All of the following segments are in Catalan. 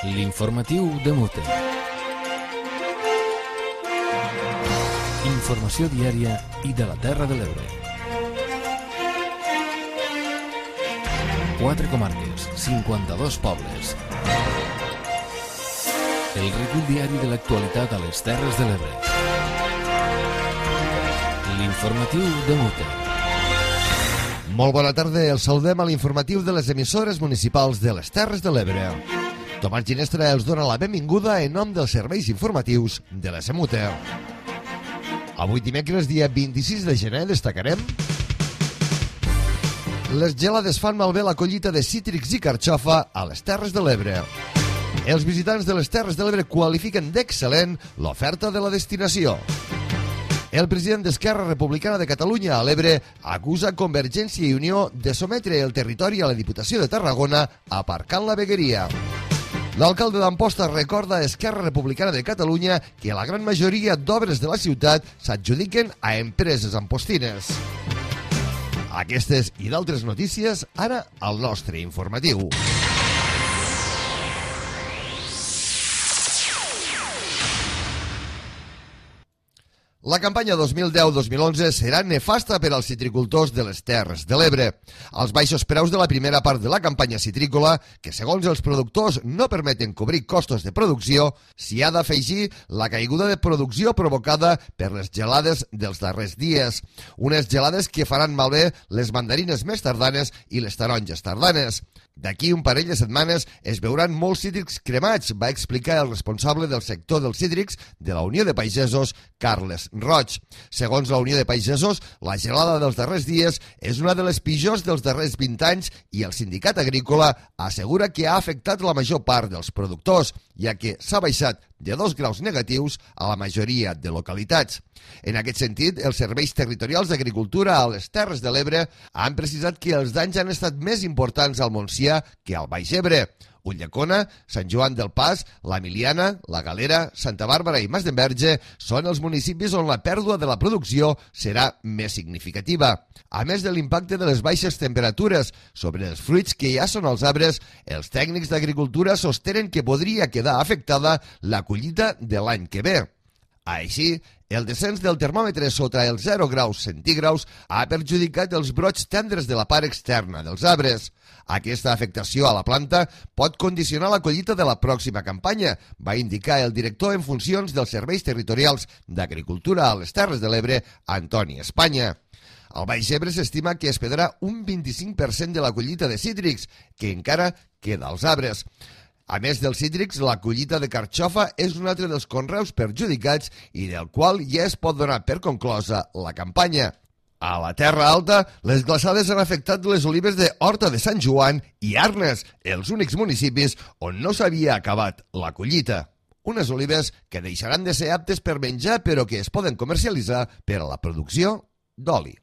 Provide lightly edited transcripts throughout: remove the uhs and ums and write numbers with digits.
L'informatiu de Mute. Informació diària i de la Terra de l'Ebre. 4 comarques, 52 pobles. El recull diari de l'actualitat a les Terres de l'Ebre. L'informatiu de Mute. Molt bona tarda, els saludem a l'informatiu de les emissores municipals de les Terres de l'Ebre. Tomàs Ginestra els dona la benvinguda en nom dels serveis informatius de la SEMUTE. Avui dimecres, dia 26 de gener, destacarem: les gelades fan malbé la collita de cítrics i carxofa a les Terres de l'Ebre. Els visitants de les Terres de l'Ebre qualifiquen d'excel·lent l'oferta de la destinació. El president d'Esquerra Republicana de Catalunya a l'Ebre acusa Convergència i Unió de sometre el territori a la Diputació de Tarragona aparcant la vegueria. L'alcalde d'Amposta recorda a Esquerra Republicana de Catalunya que la gran majoria d'obres de la ciutat s'adjudiquen a empreses ampostines. Aquestes i d'altres notícies ara al nostre informatiu. La campanya 2010-2011 serà nefasta per als citricultors de les Terres de l'Ebre. Els baixos preus de la primera part de la campanya citrícola, que segons els productors no permeten cobrir costos de producció, s'hi ha d'afegir la caiguda de producció provocada per les gelades dels darrers dies. Unes gelades que faran malbé les mandarines més tardanes i les taronges tardanes. D'aquí un parell de setmanes es veuran molts cítrics cremats, va explicar el responsable del sector dels cítrics de la Unió de Pagesos, Carles Roig. Segons la Unió de Pagesos, la gelada dels darrers dies és una de les pitjors dels darrers 20 anys i el sindicat agrícola assegura que ha afectat la major part dels productors, ja que s'ha baixat de 2 graus negatius a la majoria de localitats. En aquest sentit, els serveis territorials d'agricultura a les Terres de l'Ebre han precisat que els danys han estat més importants al Montsià que al Baix Ebre. Ulldecona, Sant Joan del Pas, la Miliana, la Galera, Santa Bàrbara i Masdenverge són els municipis on la pèrdua de la producció serà més significativa. A més de l'impacte de les baixes temperatures sobre els fruits que ja són als arbres, els tècnics d'agricultura sostenen que podria quedar afectada la collita de l'any que ve. Així, el descens del termòmetre sota els 0 graus centígrads ha perjudicat els brots tendres de la part externa dels arbres. Aquesta afectació a la planta pot condicionar la collita de la pròxima campanya, va indicar el director en funcions dels serveis territorials d'agricultura a les Terres de l'Ebre, Antoni Espanya. Al Baix Ebre s'estima que es perdrà un 25% de la collita de cítrics, que encara queda als arbres. A més dels cítrics, la collita de carxofa és un altre dels conreus perjudicats i del qual ja es pot donar per conclosa la campanya. A la Terra Alta, les glaçades han afectat les olives de Horta de Sant Joan i Arnes, els únics municipis on no s'havia acabat la collita. Unes olives que deixaran de ser aptes per menjar però que es poden comercialitzar per a la producció d'oli.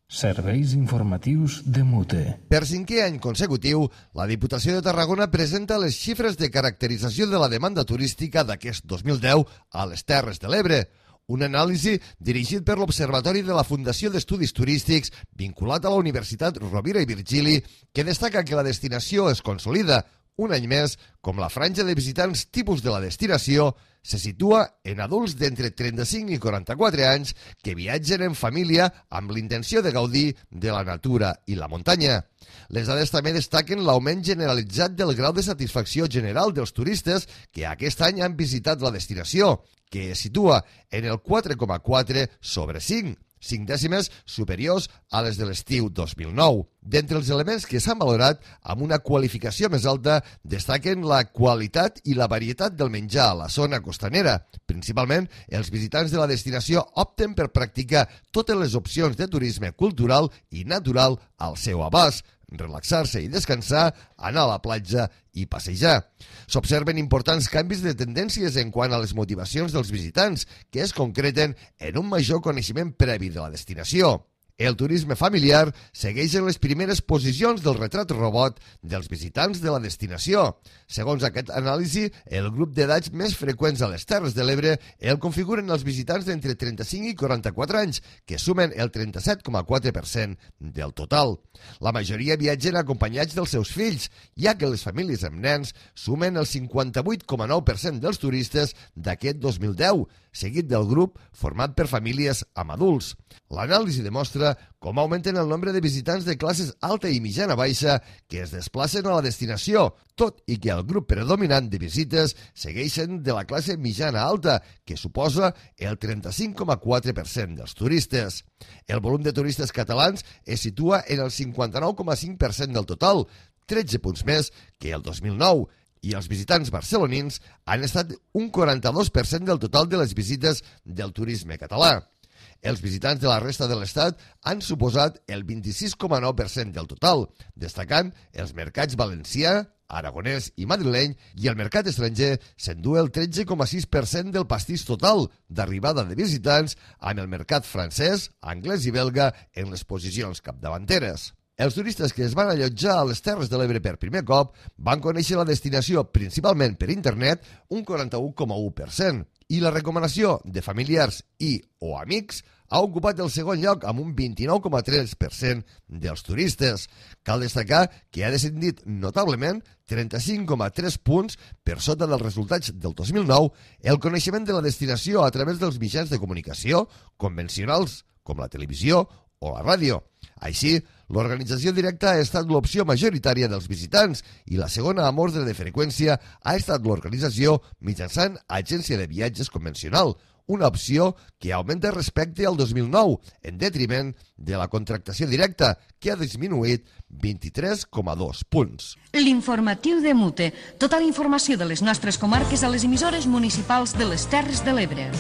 Serveis informatius de Mute. Per 5è any consecutiu, la Diputació de Tarragona presenta les xifres de caracterització de la demanda turística d'aquest 2010 a les Terres de l'Ebre. Un anàlisi dirigit per l'Observatori de la Fundació d'Estudis Turístics vinculat a la Universitat Rovira i Virgili, que destaca que la destinació es consolida un any més com la franja de visitants tipus de la destinació se situa en adults d'entre 35 i 44 anys que viatgen en família amb l'intenció de gaudir de la natura i la muntanya. Les dades també destaquen l'augment generalitzat del grau de satisfacció general dels turistes que aquest any han visitat la destinació, que es situa en el 4,4 sobre 5, 5 dècimes superiors a les de l'estiu 2009. D'entre els elements que s'han valorat amb una qualificació més alta destaquen la qualitat i la varietat del menjar a la zona costanera. Principalment, els visitants de la destinació opten per practicar totes les opcions de turisme cultural i natural al seu abast, relaxar-se i descansar, anar a la platja i passejar. S'observen importants canvis de tendències en quant a les motivacions dels visitants, que es concreten en un major coneixement previ de la destinació. El turisme familiar segueix en les primeres posicions del retrat robot dels visitants de la destinació. Segons aquest anàlisi, el grup d'edats més freqüents a les Terres de l'Ebre el configuren els visitants d'entre 35 i 44 anys, que sumen el 37,4% del total. La majoria viatgen acompanyats dels seus fills, ja que les famílies amb nens sumen el 58,9% dels turistes d'aquest 2010, seguit del grup format per famílies amb adults. L'anàlisi demostra com augmenten el nombre de visitants de classes alta i mitjana baixa que es desplacen a la destinació, tot i que el grup predominant de visites segueixen de la classe mitjana alta, que suposa el 35,4% dels turistes. El volum de turistes catalans es situa en el 59,5% del total, 13 punts més que el 2009, i els visitants barcelonins han estat un 42% del total de les visites del turisme català. Els visitants de la resta de l'Estat han suposat el 26,9% del total, destacant els mercats valencià, aragonès i madrileny, i el mercat estranger s'endú el 13,6% del pastís total d'arribada de visitants, amb el mercat francès, anglès i belga en les posicions capdavanteres. Els turistes que es van allotjar a les Terres de l'Ebre per primer cop van conèixer la destinació principalment per internet un 41,1%, i la recomanació de familiars i o amics ha ocupat el segon lloc amb un 29,3% dels turistes. Cal destacar que ha descendit notablement 35,3 punts per sota dels resultats del 2009 el coneixement de la destinació a través dels mitjans de comunicació convencionals com la televisió o la ràdio. Així, l'organització directa ha estat l'opció majoritària dels visitants i la segona amb ordre de freqüència ha estat l'organització mitjançant agència de viatges convencional, una opció que augmenta respecte al 2009, en detriment de la contractació directa, que ha disminuït 23,2 punts. L'informatiu de Mute. Tota la informació de les nostres comarques a les emissores municipals de les Terres de l'Ebre.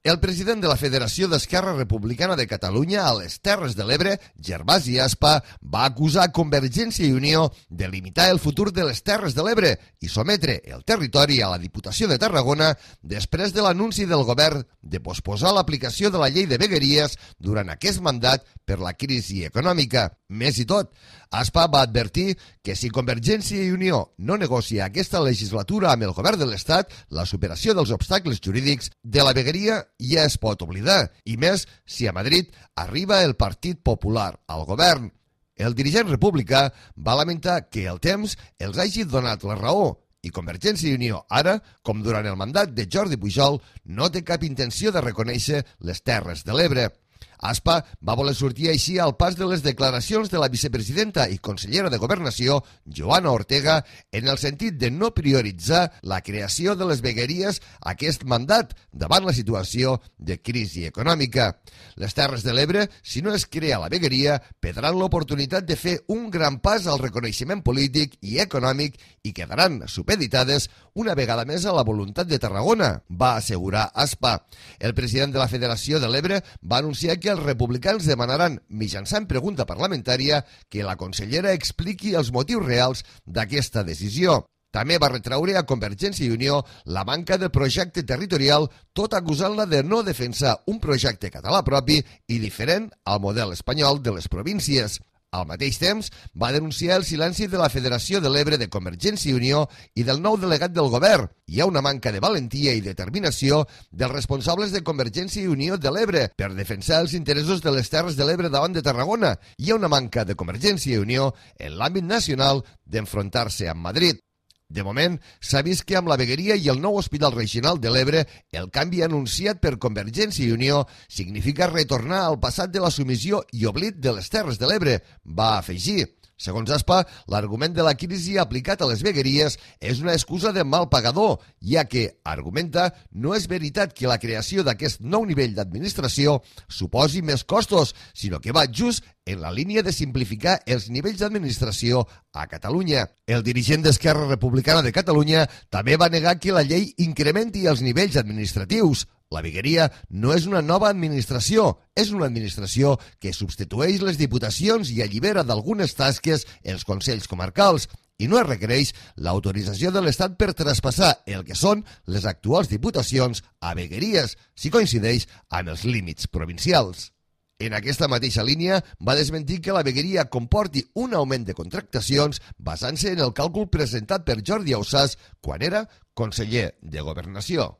El president de la Federació d'Esquerra Republicana de Catalunya a les Terres de l'Ebre, Gervasi Aspa, va acusar Convergència i Unió de limitar el futur de les Terres de l'Ebre i sometre el territori a la Diputació de Tarragona després de l'anunci del govern de posposar l'aplicació de la llei de vegueries durant aquest mandat per la crisi econòmica. Més i tot, Aspa va advertir que si Convergència i Unió no negocia aquesta legislatura amb el govern de l'Estat, la superació dels obstacles jurídics de la vegueria ja es pot oblidar, i més si a Madrid arriba el Partit Popular al govern. El dirigent republicà va lamentar que el temps els hagi donat la raó i Convergència i Unió ara, com durant el mandat de Jordi Pujol, no té cap intenció de reconèixer les Terres de l'Ebre. Aspa va voler sortir així al pas de les declaracions de la vicepresidenta i consellera de Governació, Joana Ortega, en el sentit de no prioritzar la creació de les vegueries aquest mandat davant la situació de crisi econòmica. Les Terres de l'Ebre, si no es crea la vegueria, perdran l'oportunitat de fer un gran pas al reconeixement polític i econòmic i quedaran supeditades una vegada més a la voluntat de Tarragona, va assegurar Aspa. El president de la Federació de l'Ebre va anunciar que els republicans demanaran, mitjançant pregunta parlamentària, que la consellera expliqui els motius reals d'aquesta decisió. També va retraure a Convergència i Unió la manca de projecte territorial, tot acusant-la de no defensar un projecte català propi i diferent al model espanyol de les províncies. Al mateix temps, va denunciar el silenci de la Federació de l'Ebre de Convergència i Unió i del nou delegat del govern. Hi ha una manca de valentia i determinació dels responsables de Convergència i Unió de l'Ebre per defensar els interessos de les Terres de l'Ebre davant de Tarragona. Hi ha una manca de Convergència i Unió en l'àmbit nacional d'enfrontar-se amb Madrid. De moment, s'ha vist que amb la vegueria i el nou Hospital Regional de l'Ebre, el canvi anunciat per Convergència i Unió significa retornar al passat de la submissió i oblit de les Terres de l'Ebre, va afegir. Segons Aspa, l'argument de la crisi aplicat a les vegueries és una excusa de mal pagador, ja que, argumenta, no és veritat que la creació d'aquest nou nivell d'administració suposi més costos, sinó que va just en la línia de simplificar els nivells d'administració a Catalunya. El dirigent d'Esquerra Republicana de Catalunya també va negar que la llei incrementi els nivells administratius. La vegueria no és una nova administració, és una administració que substitueix les diputacions i allibera d'algunes tasques els consells comarcals. i no es requereix l'autorització de l'Estat per traspassar el que són les actuals diputacions a vegueries, si coincideix amb els límits provincials. En aquesta mateixa línia, va desmentir que la vegueria comporti un augment de contractacions basant-se en el càlcul presentat per Jordi Ausàs quan era conseller de Governació.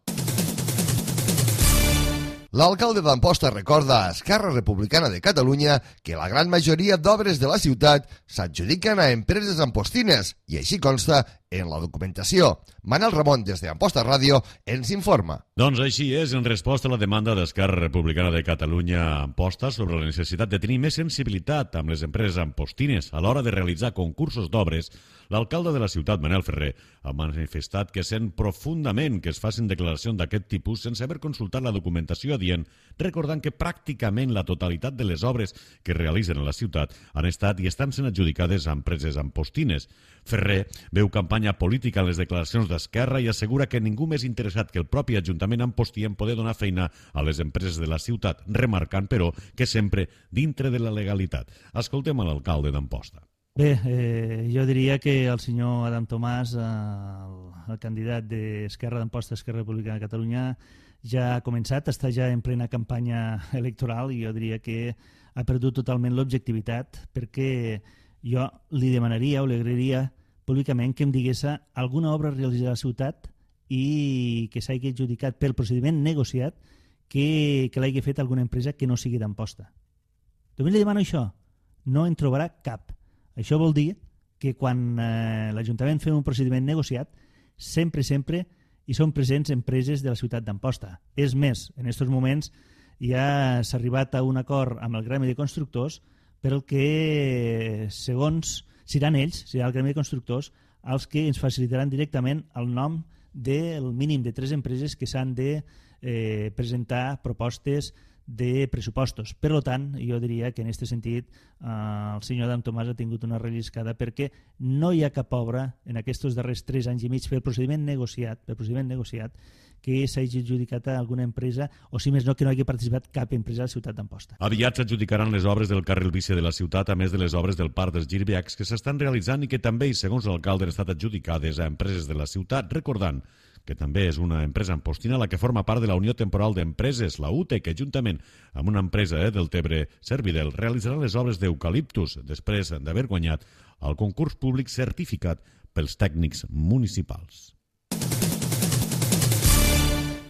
L'alcalde d'Amposta recorda a Esquerra Republicana de Catalunya que la gran majoria d'obres de la ciutat s'adjudiquen a empreses ampostines i així consta en la documentació. Manel Ramon, des d'Amposta Ràdio, ens informa. Doncs així és, en resposta a la demanda d'Esquerra Republicana de Catalunya a Amposta sobre la necessitat de tenir més sensibilitat amb les empreses ampostines a l'hora de realitzar concursos d'obres, l'alcalde de la ciutat, Manel Ferrer, ha manifestat que sent profundament que es facin declaracions d'aquest tipus sense haver consultat la documentació adient, recordant que pràcticament la totalitat de les obres que es realitzen a la ciutat han estat i estan sent adjudicades a empreses ampostines. Ferrer veu campanya política en les declaracions d'Esquerra i assegura que ningú més interessat que el propi Ajuntament Ampostí en poder donar feina a les empreses de la ciutat, remarcant, però, que sempre dintre de la legalitat. Escoltem a l'alcalde d'Amposta. Bé, jo diria que el senyor Adam Tomàs, el candidat d'Esquerra d'Amposta, Esquerra Republicana de Catalunya, ja ha començat, està ja en plena campanya electoral i jo diria que ha perdut totalment l'objectivitat, perquè jo li demanaria o li agrairia públicament que em digués alguna obra realitzada a la ciutat i que s'hagi adjudicat pel procediment negociat que l'hagi fet alguna empresa que no sigui d'Amposta. Només li demano això, no en trobarà cap. Això vol dir que quan l'Ajuntament fa un procediment negociat, sempre hi són presents empreses de la ciutat d'Amposta. És més, en aquests moments ja s'ha arribat a un acord amb el Gremi de Constructors per el que, segons, seran ells, serà el Gremi de Constructors, els que ens facilitaran directament el nom del mínim de 3 empreses que s'han de presentar propostes de pressupostos. Per tant, jo diria que en aquest sentit el senyor Adam Tomàs ha tingut una relliscada perquè no hi ha cap obra en aquests darrers 3 anys i mig pel procediment negociat que s'hagi adjudicat a alguna empresa o, si més no, que no hagi participat cap empresa a la ciutat d'Amposta. Aviat s'adjudicaran les obres del carril bici de la ciutat, a més de les obres del Parc dels Girbecs que s'estan realitzant i que també, segons l'alcalde, han estat adjudicades a empreses de la ciutat, recordant que també és una empresa ampostina la que forma part de la Unió Temporal d'Empreses, la UTE, que juntament amb una empresa del Tebre, Servidel, realitzarà les obres d'eucaliptus després d'haver guanyat el concurs públic certificat pels tècnics municipals.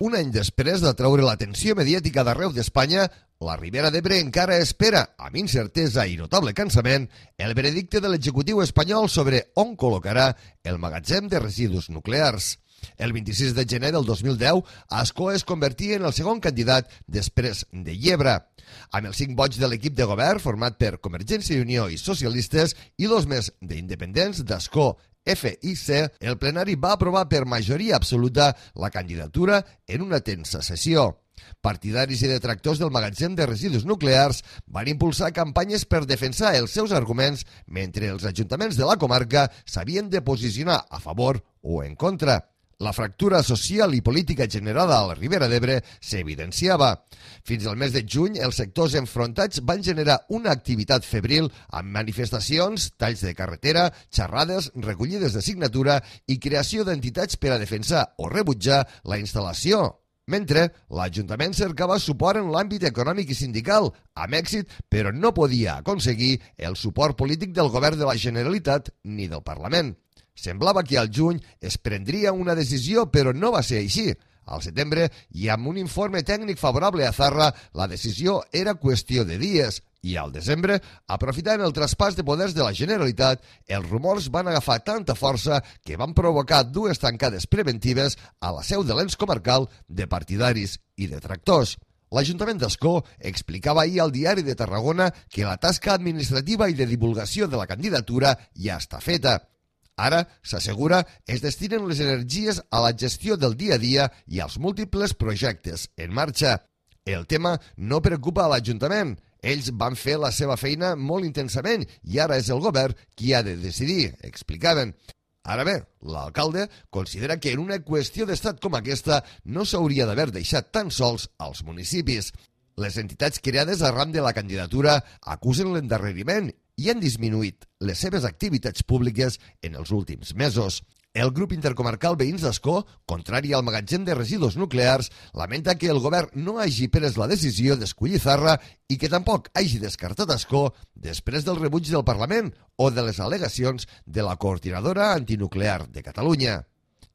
Un any després de treure l'atenció mediàtica d'arreu d'Espanya, la Ribera d'Ebre encara espera, amb incertesa i notable cansament, el veredicte de l'executiu espanyol sobre on col·locarà el magatzem de residus nuclears. El 26 de gener del 2010, Ascó es convertia en el segon candidat després de Llebre. Amb els 5 vots de l'equip de govern, format per Convergència i Unió i socialistes, i 2 més d'independents d'Ascó, FIC, el plenari va aprovar per majoria absoluta la candidatura en una tensa sessió. Partidaris i detractors del magatzem de residus nuclears van impulsar campanyes per defensar els seus arguments mentre els ajuntaments de la comarca s'havien de posicionar a favor o en contra. La fractura social i política generada a la Ribera d'Ebre s'evidenciava. Fins al mes de juny, els sectors enfrontats van generar una activitat febril amb manifestacions, talls de carretera, xerrades, recollides de signatura i creació d'entitats per a defensar o rebutjar la instal·lació. Mentre l'Ajuntament cercava suport en l'àmbit econòmic i sindical, amb èxit, però no podia aconseguir el suport polític del govern de la Generalitat ni del Parlament. Semblava que al juny es prendria una decisió, però no va ser així. Al setembre, i amb un informe tècnic favorable a Zarra, la decisió era qüestió de dies. I al desembre, aprofitant el traspàs de poders de la Generalitat, els rumors van agafar tanta força que van provocar 2 tancades preventives a la seu de l'ens comarcal de partidaris i detractors. L'Ajuntament d'Ascó explicava ahir al Diari de Tarragona que la tasca administrativa i de divulgació de la candidatura ja està feta. Ara, s'assegura, es destinen les energies a la gestió del dia a dia i als múltiples projectes en marxa. El tema no preocupa a l'Ajuntament. Ells van fer la seva feina molt intensament i ara és el govern qui ha de decidir, explicaven. Ara bé, l'alcalde considera que en una qüestió d'estat com aquesta no s'hauria d'haver deixat tan sols als municipis. Les entitats creades arran de la candidatura acusen l'endarreriment i han disminuït les seves activitats públiques en els últims mesos. El grup intercomarcal Veïns d'Ascó, contrari al magatzem de residus nuclears, lamenta que el govern no hagi pres la decisió d'escollir Zarra i que tampoc hagi descartat Ascó després del rebuig del Parlament o de les al·legacions de la Coordinadora Antinuclear de Catalunya.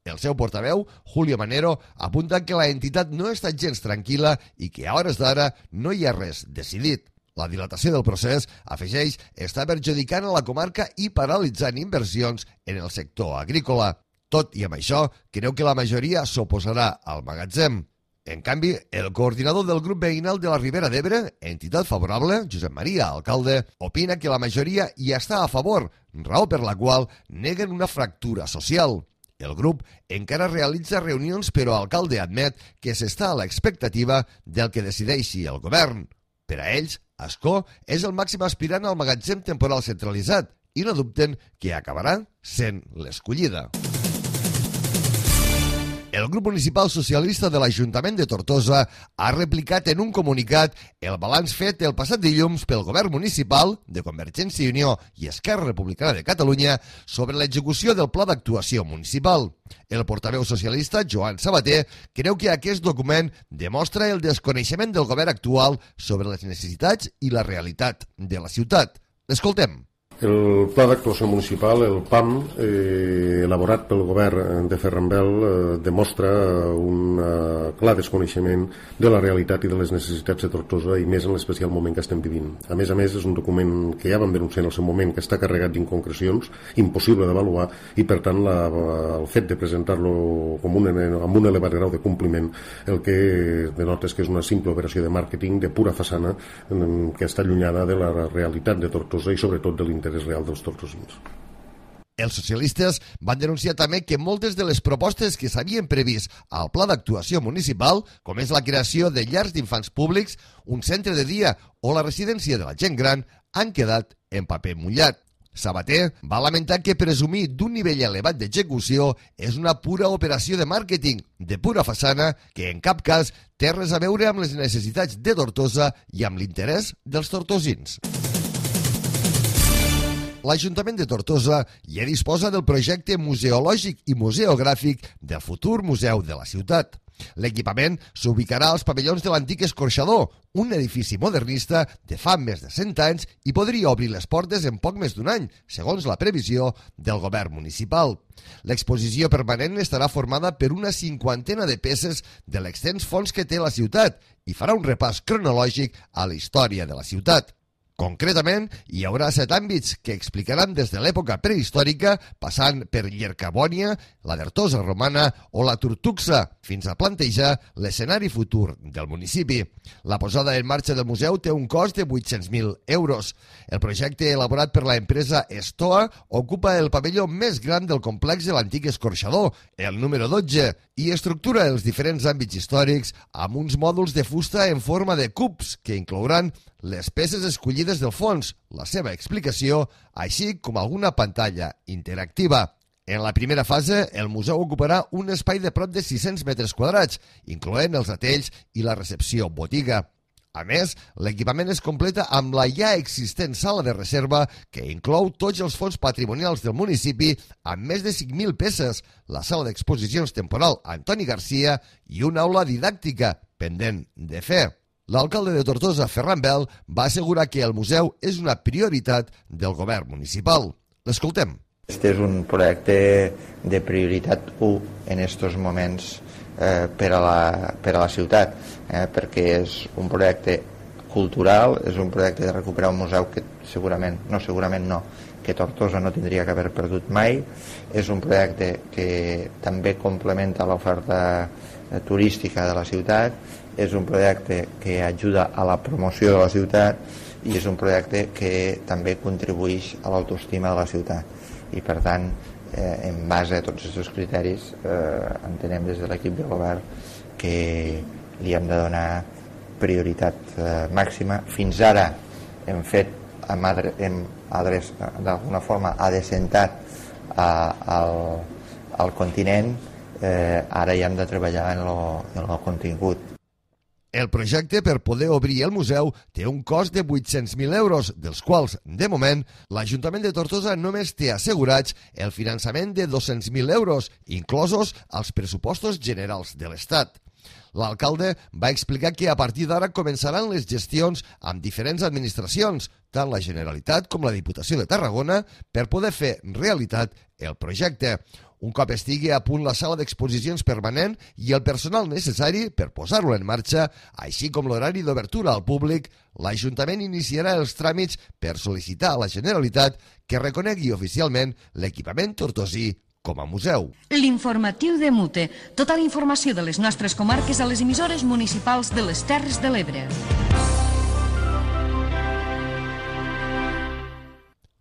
El seu portaveu, Julio Manero, apunta que la entitat no està gens tranquil·la i que a hores d'ara no hi ha res decidit. La dilatació del procés, afegeix, està perjudicant a la comarca i paralitzant inversions en el sector agrícola. Tot i amb això, creu que la majoria s'oposarà al magatzem. En canvi, el coordinador del grup veïnal de la Ribera d'Ebre, entitat favorable, Josep Maria Alcalde, opina que la majoria hi està a favor, raó per la qual neguen una fractura social. El grup encara realitza reunions, però Alcalde admet que s'està a l'expectativa del que decideixi el govern. Per a ells, Ascó és el màxim aspirant al magatzem temporal centralitzat i no dubten que acabarà sent l'escollida. El grup municipal socialista de l'Ajuntament de Tortosa ha replicat en un comunicat el balanç fet el passat dilluns pel govern municipal de Convergència i Unió i Esquerra Republicana de Catalunya sobre l'execució del pla d'actuació municipal. El portaveu socialista, Joan Sabater, creu que aquest document demostra el desconeixement del govern actual sobre les necessitats i la realitat de la ciutat. L'escoltem. El Pla d'Actuació Municipal, el PAM, elaborat pel govern de Ferrambel, demostra un clar desconeixement de la realitat i de les necessitats de Tortosa i més en l'especial moment que estem vivint. A més, és un document que ja vam denunciar en el seu moment, que està carregat d'inconcrecions, impossible d'avaluar, i per tant el fet de presentar-lo amb un elevat grau de compliment el que denota és que és una simple operació de màrqueting de pura façana que està allunyada de la realitat de Tortosa i sobretot de l'interès real dels tortosins. Els socialistes van denunciar també que moltes de les propostes que s'havien previst al pla d'actuació municipal, com és la creació de llars d'infants públics, un centre de dia o la residència de la gent gran, han quedat en paper mullat. Sabater va lamentar que presumir d'un nivell elevat d'execució és una pura operació de màrqueting, de pura façana, que en cap cas té res a veure amb les necessitats de Tortosa i amb l'interès dels tortosins. L'Ajuntament de Tortosa ja disposa del projecte museològic i museogràfic del futur museu de la ciutat. L'equipament s'ubicarà als pavellons de l'antic escorxador, un edifici modernista de fa més de 100 anys i podria obrir les portes en poc més d'un any, segons la previsió del govern municipal. L'exposició permanent estarà formada per una 50 de peces de l'extens fons que té la ciutat i farà un repàs cronològic a la història de la ciutat. Concretament, hi haurà 7 àmbits que explicaran des de l'època prehistòrica, passant per Llercabònia, la Dertosa romana o la Turtuxa, fins a plantejar l'escenari futur del municipi. La posada en marxa del museu té un cost de 800.000 euros. El projecte elaborat per l'empresa Estoa ocupa el pavelló més gran del complex de l'antic escorxador, el número 12, i estructura els diferents àmbits històrics amb uns mòduls de fusta en forma de cubs que inclouran les peces escollides del fons, la seva explicació, així com alguna pantalla interactiva. En la primera fase, el museu ocuparà un espai de prop de 600 metres quadrats, incloent els atells i la recepció botiga. A més, l'equipament es completa amb la ja existent sala de reserva que inclou tots els fons patrimonials del municipi amb més de 5.000 peces, la sala d'exposicions temporal Antoni Garcia i una aula didàctica pendent de fer. L'alcalde de Tortosa, Ferran Bel, va assegurar que el museu és una prioritat del govern municipal. L'escoltem. Este és un projecte de prioritat 1 en aquests moments per a la ciutat, perquè és un projecte cultural, és un projecte de recuperar un museu que que Tortosa no tindria que haver perdut mai, és un projecte que també complementa l'oferta turística de la ciutat, és un projecte que ajuda a la promoció de la ciutat i és un projecte que també contribueix a l'autoestima de la ciutat. I per tant, en base a tots aquests criteris, entenem des de l'equip de govern que li hem de donar prioritat màxima. Fins ara hem fet, d'alguna forma, adreçat al continent, ara ja hem de treballar en el contingut. El projecte per poder obrir el museu té un cost de 800.000 euros, dels quals, de moment, l'Ajuntament de Tortosa només té assegurats el finançament de 200.000 euros, inclosos als pressupostos generals de l'Estat. L'alcalde va explicar que a partir d'ara començaran les gestions amb diferents administracions, tant la Generalitat com la Diputació de Tarragona, per poder fer realitat el projecte. Un cop estigui a punt la sala d'exposicions permanent i el personal necessari per posar-lo en marxa, així com l'horari d'obertura al públic, l'Ajuntament iniciarà els tràmits per sol·licitar a la Generalitat que reconegui oficialment l'equipament tortosí com a museu. L'informatiu de Mute. Tota la informació de les nostres comarques a les emissores municipals de les Terres de l'Ebre.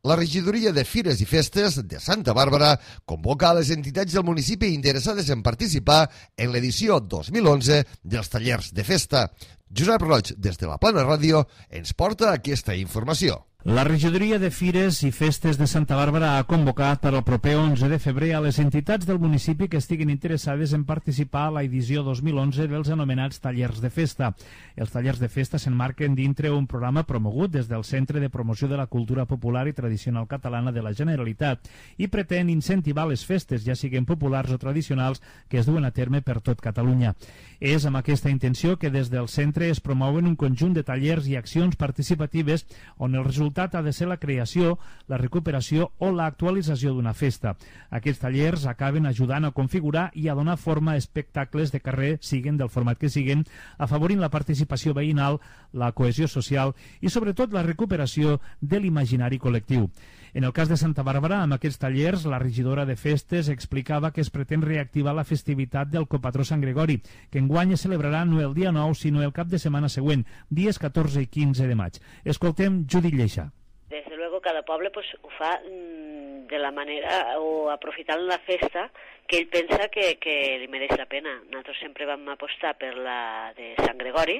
La regidoria de Fires i Festes de Santa Bàrbara convoca a les entitats del municipi interessades en participar en l'edició 2011 dels tallers de festa. Josep Roig, des de la Plana Ràdio, ens porta aquesta informació. La regidoria de Fires i Festes de Santa Bàrbara ha convocat per al proper 11 de febrer a les entitats del municipi que estiguin interessades en participar a l'edició 2011 dels anomenats tallers de festa. Els tallers de festa s'emmarquen dintre un programa promogut des del Centre de Promoció de la Cultura Popular i Tradicional Catalana de la Generalitat i pretén incentivar les festes, ja siguin populars o tradicionals, que es duen a terme per tot Catalunya. És amb aquesta intenció que des del centre es promouen un conjunt de tallers i accions participatives on el resultat ha de ser la creació, la recuperació o l'actualització d'una festa. Aquests tallers acaben ajudant a configurar i a donar forma a espectacles de carrer, siguen del format que siguen, afavorint la participació veïnal, la cohesió social i sobretot la recuperació de l'imaginari col·lectiu. En el cas de Santa Bàrbara, amb aquests tallers, la regidora de festes explicava que es pretén reactivar la festivitat del copatró Sant Gregori, que enguany es celebrarà no el dia 9, sinó el cap de setmana següent, dies 14 i 15 de maig. Escoltem Judit Lleixa. Desde luego cada poble pues, ho fa de la manera o aprofitant la festa que ell pensa que li mereix la pena. Nosaltres sempre vam apostar per la de Sant Gregori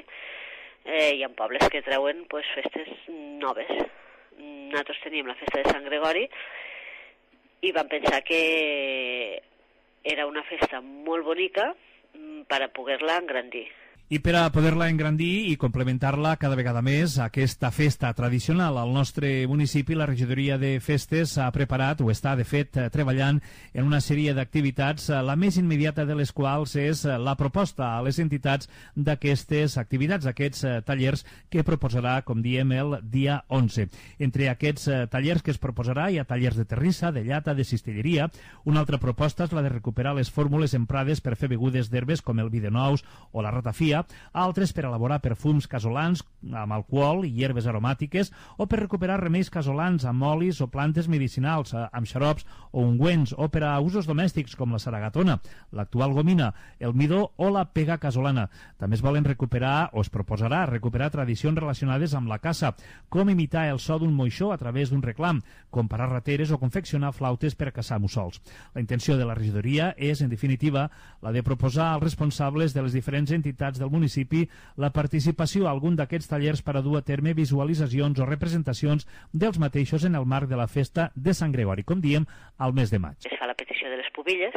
i hi ha pobles que treuen pues, festes noves. Nosaltres teníem la festa de Sant Gregori i vam pensar que era una festa molt bonica per a poder-la engrandir. I per a poder-la engrandir i complementar-la cada vegada més, aquesta festa tradicional al nostre municipi, la regidoria de festes ha preparat, o està de fet treballant en una sèrie d'activitats, la més immediata de les quals és la proposta a les entitats d'aquestes activitats, aquests tallers que proposarà, com diem, el dia 11. Entre aquests tallers que es proposarà hi ha tallers de terrissa, de llata, de cistelleria. Una altra proposta és la de recuperar les fórmules emprades per fer begudes d'herbes com el vi de nous o la ratafia, altres per elaborar perfums casolans amb alcohol i hierbes aromàtiques o per recuperar remeis casolans amb olis o plantes medicinals, amb xarops o ungüents, o per a usos domèstics com la saragatona, l'actual gomina, el midó o la pega casolana. També es volen recuperar, o es proposarà recuperar tradicions relacionades amb la caça, com imitar el so d'un moixó a través d'un reclam, com parar rateres o confeccionar flautes per a caçar mussols. La intenció de la regidoria és, en definitiva, la de proposar als responsables de les diferents entitats del municipi la participació a algun d'aquests tallers per a dur a terme visualitzacions o representacions dels mateixos en el marc de la festa de Sant Gregori, com diem, al mes de maig. Es fa la petició de les pubilles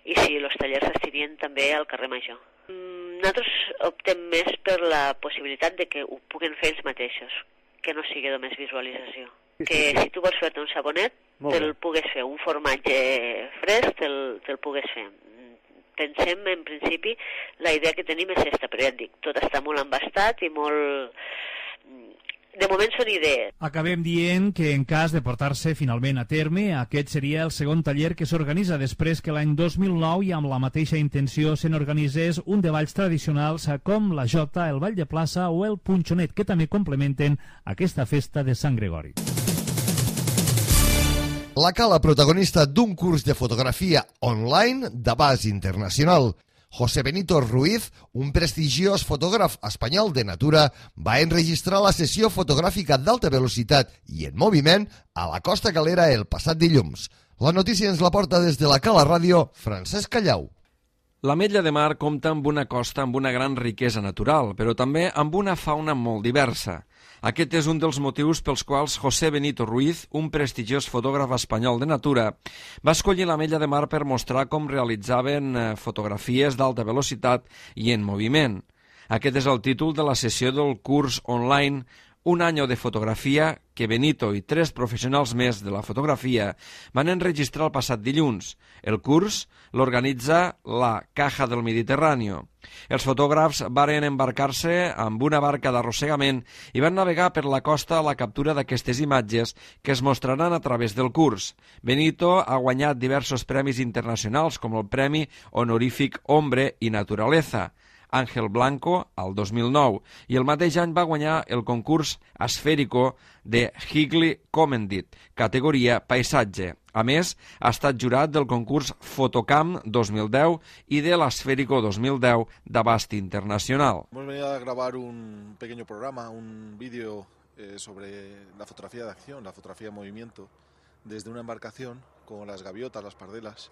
i si els tallers s'estirien també al carrer Major. Nosaltres optem més per la possibilitat de que ho puguen fer ells mateixos, que no sigui només visualització. Que si tu vols fer-te un sabonet, te'l pugues fer, un formatge fresc, te'l pugues fer. Pensem, en principi, la idea que tenim és aquesta, però ja et dic, tot està molt embastat i molt... De moment són idees. Acabem dient que en cas de portar-se finalment a terme, aquest seria el segon taller que s'organitza després que l'any 2009 i amb la mateixa intenció se n'organitzés un de balls tradicionals com la jota, el ball de plaça o el punxonet, que també complementen aquesta festa de Sant Gregori. La Cala, protagonista d'un curs de fotografia online d'abast internacional. José Benito Ruiz, un prestigiós fotògraf espanyol de natura, va enregistrar la sessió fotogràfica d'alta velocitat i en moviment a la Costa Calera el passat dilluns. La notícia ens la porta des de la Cala Ràdio, Francesc Callau. L'Ametlla de Mar compta amb una costa amb una gran riquesa natural, però també amb una fauna molt diversa. Aquest és un dels motius pels quals José Benito Ruiz, un prestigiós fotògraf espanyol de natura, va escollir l'Ametlla de Mar per mostrar com realitzaven fotografies d'alta velocitat i en moviment. Aquest és el títol de la sessió del curs online Un año de fotografia que Benito i 3 professionals més de la fotografia van enregistrar el passat dilluns. El curs l'organitza la Caja del Mediterráneo. Els fotògrafs varen embarcar-se amb una barca d'arrossegament i van navegar per la costa a la captura d'aquestes imatges que es mostraran a través del curs. Benito ha guanyat diversos premis internacionals com el Premi Honorífic Hombre i Naturaleza, Ángel Blanco al 2009, i el mateix any va guanyar el concurs Asférico de Higley Comendit, categoria paisatge. A més, ha estat jurat del concurs Fotocam 2010 i de l'Asférico 2010 d'abast internacional. Hemos venido a grabar un pequeño programa, un vídeo sobre la fotografía de acción, la fotografía de movimiento, desde una embarcación con las gaviotas, las pardelas.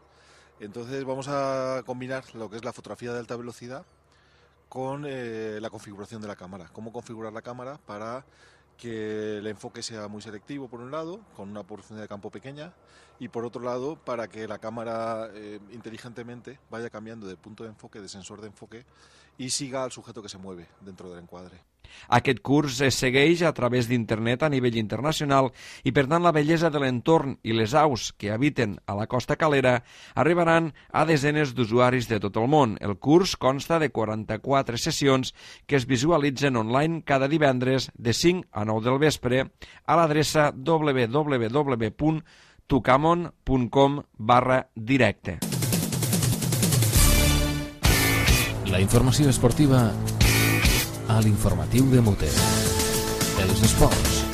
Entonces vamos a combinar lo que es la fotografía de alta velocidad con la configuración de la cámara. Cómo configurar la cámara para que el enfoque sea muy selectivo por un lado, con una porción de campo pequeña, y por otro lado para que la cámara inteligentemente vaya cambiando de punto de enfoque, de sensor de enfoque, y siga al sujeto que se mueve dentro del encuadre. Aquest curs es segueix a través d'internet a nivell internacional i, per tant, la bellesa de l'entorn i les aus que habiten a la costa calera arribaran a desenes d'usuaris de tot el món. El curs consta de 44 sessions que es visualitzen online cada divendres de 5 a 9 del vespre a l'adreça www.tucamon.com/directe. La informació esportiva a l'informatiu de Mute. Els esports.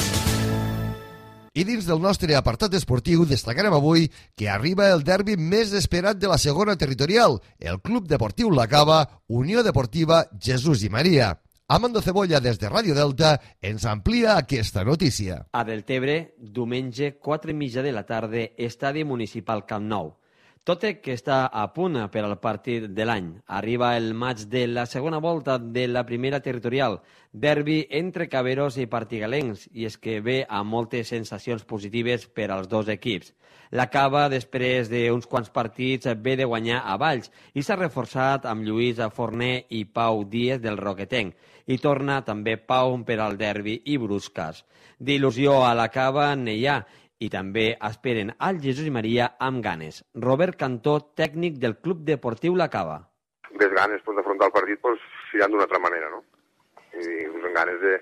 I dins del nostre apartat esportiu destacarem avui que arriba el derbi més esperat de la segona territorial, el Club Deportiu La Cava, Unió Deportiva Jesús i Maria. Amando Cebolla, des de Ràdio Delta, ens amplia aquesta notícia. A Deltebre, diumenge, 4:30 de la tarda, estadi municipal Camp Nou. Tot i que està a punt per al partit de l'any. Arriba el maig de la segona volta de la primera territorial, derbi entre caberos i partigalencs, i és que ve amb moltes sensacions positives per als dos equips. La Cava, després d'uns quants partits, ve de guanyar a Valls i s'ha reforçat amb Lluís Forner i Pau Díez del Roquetenc. I torna també Pau per al derbi i Bruscas. D'il·lusió a la Cava n'hi ha, i també esperen al Jesús i Maria amb ganes. Robert Cantó, tècnic del Club Deportiu La Cava. Ves ganes d'afrontar el partit mirant d'una altra manera, no? I amb ganes de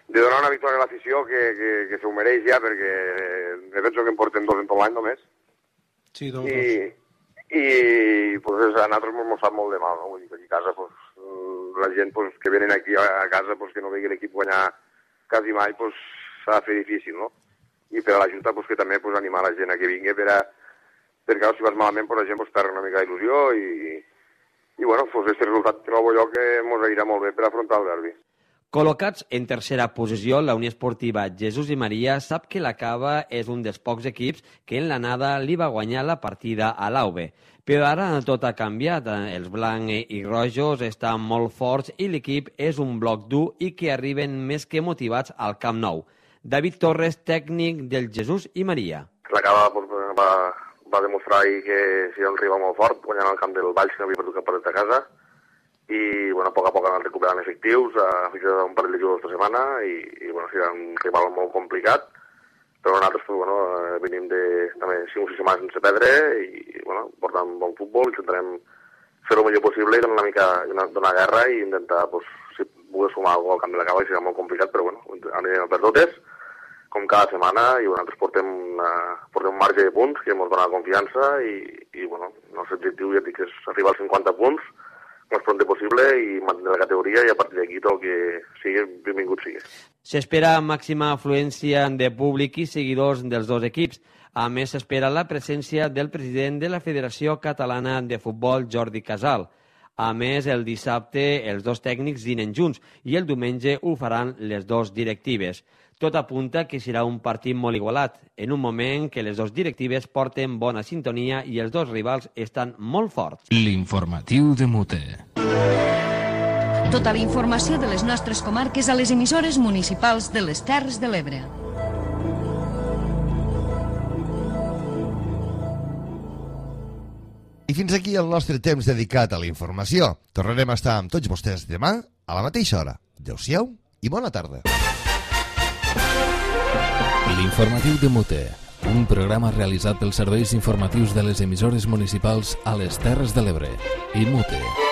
donar una victòria a l'afició que s'ho mereix ja, perquè penso que en porten 2 en tot l'any només. Sí, 2. I a nosaltres ens sap molt de mal, no? Vull dir que aquí a casa la gent que venen aquí a casa que no vegi l'equip guanyar quasi mai s'ha de fer difícil, no? I per a la Junta que també animar la gent a que vingui perquè si vas malament la gent perd una mica d'il·lusió i aquest resultat trobo jo que ens anirà molt bé per afrontar el derbi. Col·locats en tercera posició, la Unió Esportiva Jesús i Maria sap que la Cava és un dels pocs equips que en l'anada li va guanyar la partida a l'AUB. Però ara tot ha canviat. Els blancs i rojos estan molt forts i l'equip és un bloc dur i que arriben més que motivats al Camp Nou. David Torres, tècnic del Jesús i Maria. La Cava va demostrar ahir que si era un rival molt fort, guanyant el camp del Valls, que no havia perdut cap partit a casa, i a poc han anat recuperant efectius, ha fixat un parell de jugadors esta setmana, i serà un rival molt complicat, però nosaltres venim de també 5 o 6 setmanes sense perdre, i portant bon futbol, intentarem fer el millor possible i donar guerra i intentar, si poder sumar alguna cosa al camp de la Cava, que serà molt complicat, però anirem per totes, com cada setmana, i nosaltres portem un marge de punts que ens dona confiança i el nostre objectiu, ja dic, és arribar als 50 punts el més pront possible i mantenir la categoria, i a partir d'aquí tot el que sigui, benvingut sigui. S'espera màxima afluència de públic i seguidors dels dos equips. A més, s'espera la presència del president de la Federació Catalana de Futbol, Jordi Casal. A més, el dissabte els dos tècnics dinen junts i el diumenge ho faran les dos directives. Tot apunta que serà un partit molt igualat, en un moment que les dues directives porten bona sintonia i els dos rivals estan molt forts. L'informatiu de Mute. Tota la informació de les nostres comarques a les emissores municipals de les Terres de l'Ebre. I fins aquí el nostre temps dedicat a la informació. Tornarem a estar amb tots vostès demà a la mateixa hora. Adéu-siau i bona tarda. L'informatiu de Mute, un programa realitzat pels serveis informatius de les emissores municipals a les Terres de l'Ebre i Mute.